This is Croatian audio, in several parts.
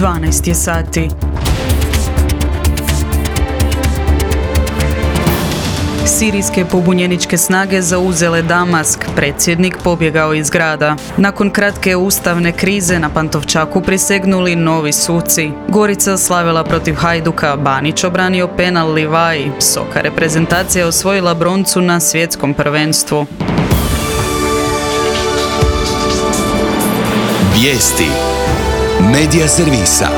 12 je sati. Sirijske pobunjeničke snage zauzele Damask, predsjednik pobjegao iz grada. Nakon kratke ustavne krize na Pantovčaku prisegnuli novi suci. Gorica slavila protiv Hajduka, Banić obranio penal Livaji, Soka reprezentacija osvojila broncu na svjetskom prvenstvu. Vijesti Medija servisa.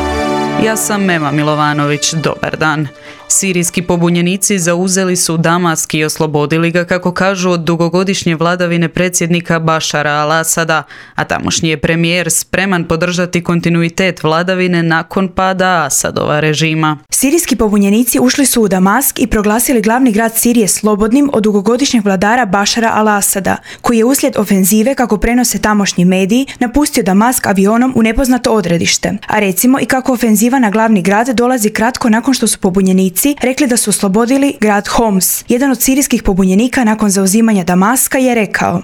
Ja sam Mema Milovanović, dobar dan. Sirijski pobunjenici zauzeli su Damask i oslobodili ga, kako kažu, od dugogodišnje vladavine predsjednika Bašara al-Asada, a tamošnji je premijer spreman podržati kontinuitet vladavine nakon pada Asadova režima. Sirijski pobunjenici ušli su u Damask i proglasili glavni grad Sirije slobodnim od dugogodišnjeg vladara Bašara al-Asada, koji je uslijed ofenzive, kako prenose tamošnji mediji, napustio Damask avionom u nepoznato odredište. A recimo i kako ofenziva na glavni grad dolazi kratko nakon što su pobunjenici rekli da su oslobodili grad Homs. Jedan od sirijskih pobunjenika nakon zauzimanja Damaska je rekao: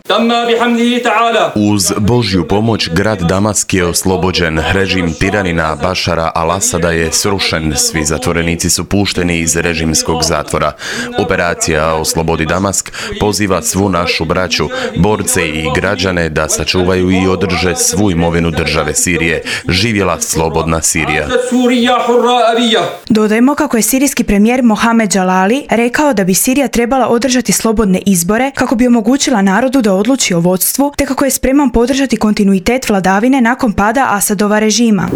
Uz Božju pomoć grad Damask je oslobođen. Režim tiranina Bašara al-Asada je srušen. Svi zatvorenici su pušteni iz režimskog zatvora. Operacija Oslobodi Damask poziva svu našu braću, borce i građane da sačuvaju i održe svu imovinu države Sirije. Živjela slobodna Sirija. Dodajmo kako je sirijski premijer Mohamed Jalali rekao da bi Sirija trebala održati slobodne izbore kako bi omogućila narodu da odluči o vodstvu, te kako je spreman podržati kontinuitet vladavine nakon pada Asadova režima.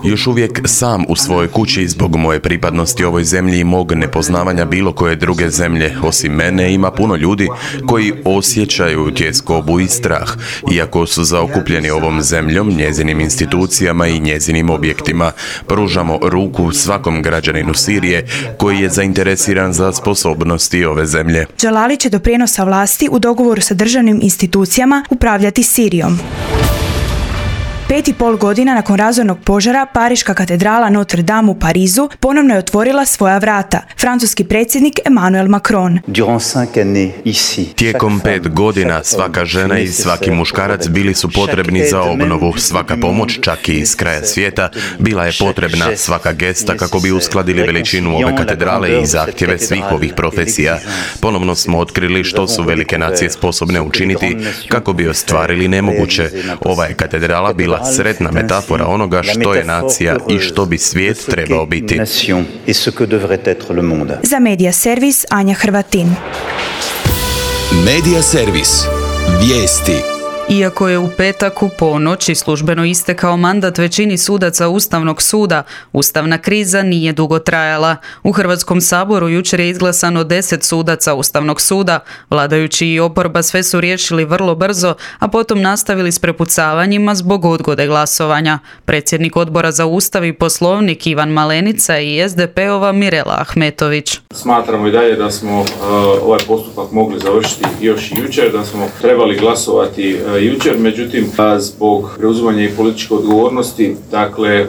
Još uvijek sam u svojoj kući zbog moje pripadnosti ovoj zemlji i mog nepoznavanja bilo koje druge zemlje. Osim mene ima puno ljudi koji osjećaju tjeskobu i strah, iako su zaokupljeni ovom zemljom, njezinim institucijama i njezinim objektima. Pružamo ruku svakom građaninu Sirije koji je zainteresiran za sposobnosti ove zemlje. Jalali će do prijenosa vlasti u dogovoru sa državnim institucijama upravljati Sirijom. 5,5 godina nakon razornog požara, Pariška katedrala Notre Dame u Parizu ponovno je otvorila svoja vrata. Francuski predsjednik Emmanuel Macron. Tijekom 5 godina svaka žena i svaki muškarac bili su potrebni za obnovu. Svaka pomoć, čak i iz kraja svijeta, bila je potrebna. Svaka gesta kako bi uskladili veličinu ove katedrale i zahtjeve svih ovih profesija. Ponovno smo otkrili što su velike nacije sposobne učiniti kako bi ostvarili nemoguće. Ova je katedrala bila sretna metafora onoga što je nacija i što bi svijet trebao biti. Za Medija servis Anja Hrvatin. Medija servis. Vijesti. Iako je u petak u ponoći službeno istekao mandat većini sudaca Ustavnog suda, ustavna kriza nije dugo trajala. U Hrvatskom saboru jučer je izglasano 10 sudaca Ustavnog suda. Vladajući i oporba sve su riješili vrlo brzo, a potom nastavili s prepucavanjima zbog odgode glasovanja. Predsjednik Odbora za Ustav i Poslovnik Ivan Malenica i SDP-ova Mirela Ahmetović. Smatramo i dalje da smo ovaj postupak mogli završiti još i jučer, da smo trebali glasovati jučer, međutim, zbog preuzimanja i političke odgovornosti, dakle,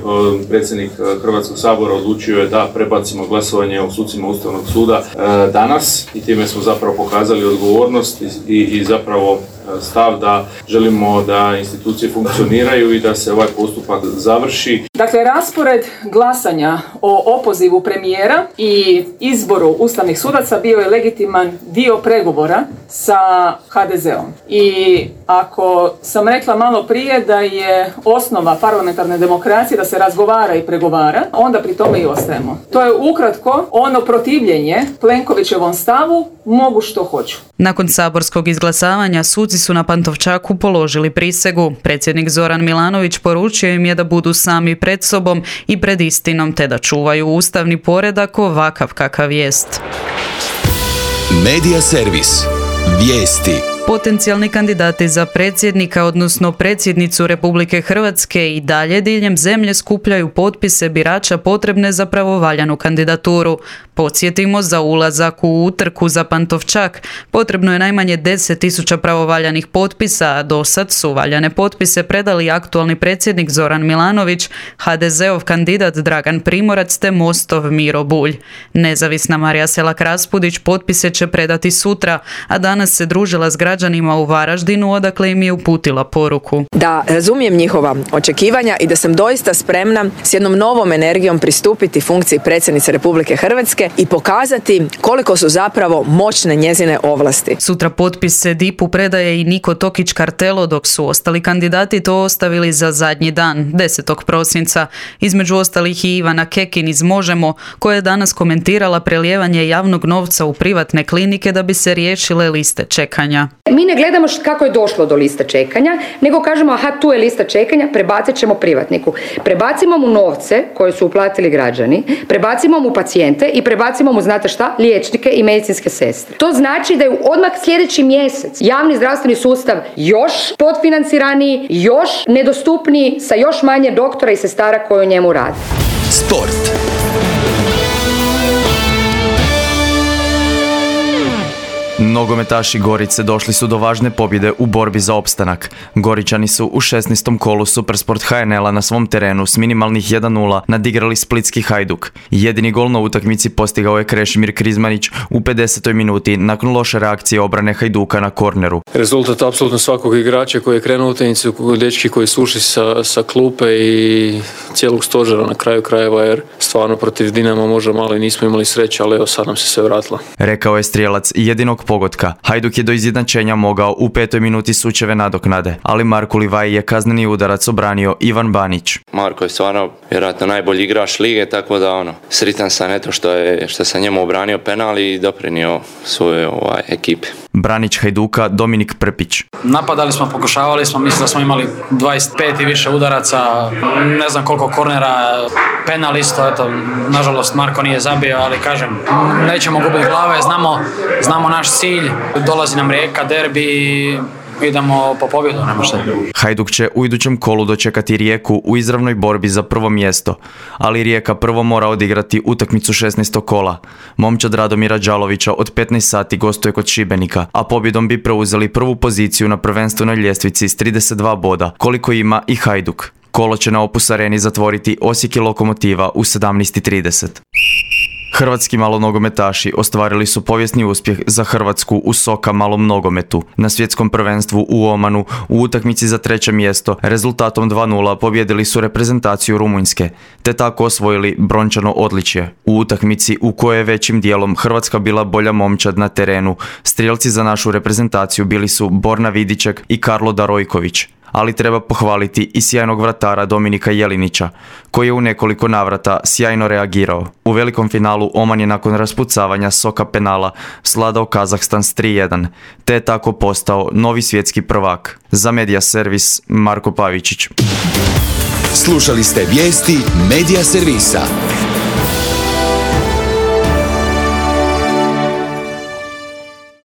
predsjednik Hrvatskog sabora odlučio je da prebacimo glasovanje o sucima Ustavnog suda danas i time smo zapravo pokazali odgovornost i zapravo stav da želimo da institucije funkcioniraju i da se ovaj postupak završi. Dakle, raspored glasanja o opozivu premijera i izboru ustavnih sudaca bio je legitiman dio pregovora sa HDZ-om. I ako sam rekla malo prije da je osnova parlamentarne demokracije da se razgovara i pregovara, onda pri tome i ostajemo. To je ukratko ono protivljenje Plenkovićevom stavu mogu što hoću. Nakon saborskog izglasavanja suci su na Pantovčaku položili prisegu. Predsjednik Zoran Milanović poručio im je da budu sami pred sobom i pred istinom, te da čuvaju ustavni poredak ovakav kakav jest. Medija servis. Vijesti. Potencijalni kandidati za predsjednika, odnosno predsjednicu Republike Hrvatske, i dalje diljem zemlje skupljaju potpise birača potrebne za pravovaljanu kandidaturu. Podsjetimo, za ulazak u utrku za Pantovčak potrebno je najmanje 10.000 pravovaljanih potpisa, a dosad su valjane potpise predali aktualni predsjednik Zoran Milanović, HDZ-ov kandidat Dragan Primorac te Mostov Miro Bulj. Nezavisna Marija Selak-Raspudić potpise će predati sutra, a danas se družila s građanima u Varaždinu, odakle im je uputila poruku. Da razumijem njihova očekivanja i da sam doista spremna s jednom novom energijom pristupiti funkciji predsjednice Republike Hrvatske i pokazati koliko su zapravo moćne njezine ovlasti. Sutra potpise DIP-u predaje i Niko Tokić Kartelo, dok su ostali kandidati to ostavili za zadnji dan, 10. prosinca. Između ostalih i Ivana Kekin iz Možemo, koja je danas komentirala prelijevanje javnog novca u privatne klinike da bi se riješile liste čekanja. Mi ne gledamo kako je došlo do liste čekanja, nego kažemo aha, tu je lista čekanja, prebacit ćemo privatniku. Prebacimo mu novce koje su uplatili građani, prebacimo mu pacijente i prebacimo mu, znate šta, liječnike i medicinske sestre. To znači da je odmah sljedeći mjesec javni zdravstveni sustav još podfinanciraniji, još nedostupniji, sa još manje doktora i sestara koji u njemu rade. Sport. Nogometaši Gorice došli su do važne pobjede u borbi za opstanak. Goričani su u 16. kolu Supersport HNL-a na svom terenu s minimalnih 1:0 nadigrali splitski Hajduk. Jedini gol na utakmici postigao je Krešimir Krizmanić u 50. minuti nakon loše reakcije obrane Hajduka na korneru. Rezultat apsolutno svakog igrača koji je krenuo u utakmicu, dečki koji su ušli sa klupe i cijelog stožera na kraju krajeva, jer stvarno protiv Dinama možda malo i nismo imali sreće, ali evo sad nam se sve vratilo. Rekao je strijelac jedinog pogotka. Hajduk je do izjednačenja mogao u 5. minuti sučeve nadoknade, ali Marku Livaji je kazneni udarac obranio Ivan Banić. Marko je stvarno vjerojatno najbolji igrač lige, tako da sritan sam eto što sam njemu obranio penal i doprinio svoje ekipe. Branić Hajduka Dominik Prpić. Napadali smo, pokušavali smo, mislim da smo imali 25 i više udaraca, ne znam koliko kornera, penal isto, eto, nažalost Marko nije zabio, ali kažem, nećemo gubiti glave, znamo naš cilj, dolazi nam Rijeka, derbi, idemo po pobjedu, nema šta. Hajduk će u idućem kolu dočekati Rijeku u izravnoj borbi za prvo mjesto, ali Rijeka prvo mora odigrati utakmicu 16. kola. Momčad Radomira Đalovića od 15 sati gostuje kod Šibenika, a pobjedom bi preuzeli prvu poziciju na prvenstvenoj ljestvici s 32 boda, koliko ima i Hajduk. Kolo će na Opus Areni zatvoriti Osijek i Lokomotiva u 17:30. Hrvatski malonogometaši ostvarili su povijesni uspjeh za Hrvatsku u soka malom nogometu. Na svjetskom prvenstvu u Omanu u utakmici za 3. mjesto rezultatom 2:0 pobjedili su reprezentaciju Rumunjske, te tako osvojili brončano odličje. U utakmici u kojoj je većim dijelom Hrvatska bila bolja momčad na terenu, strijelci za našu reprezentaciju bili su Borna Vidiček i Karlo Darojković. Ali treba pohvaliti i sjajnog vratara Dominika Jelinića, koji je u nekoliko navrata sjajno reagirao. U velikom finalu Oman je nakon raspucavanja soka penala svladao Kazahstan s 3:1, te je tako postao novi svjetski prvak. Za Media Servis Marko Pavičić. Slušali ste vijesti Media Servisa.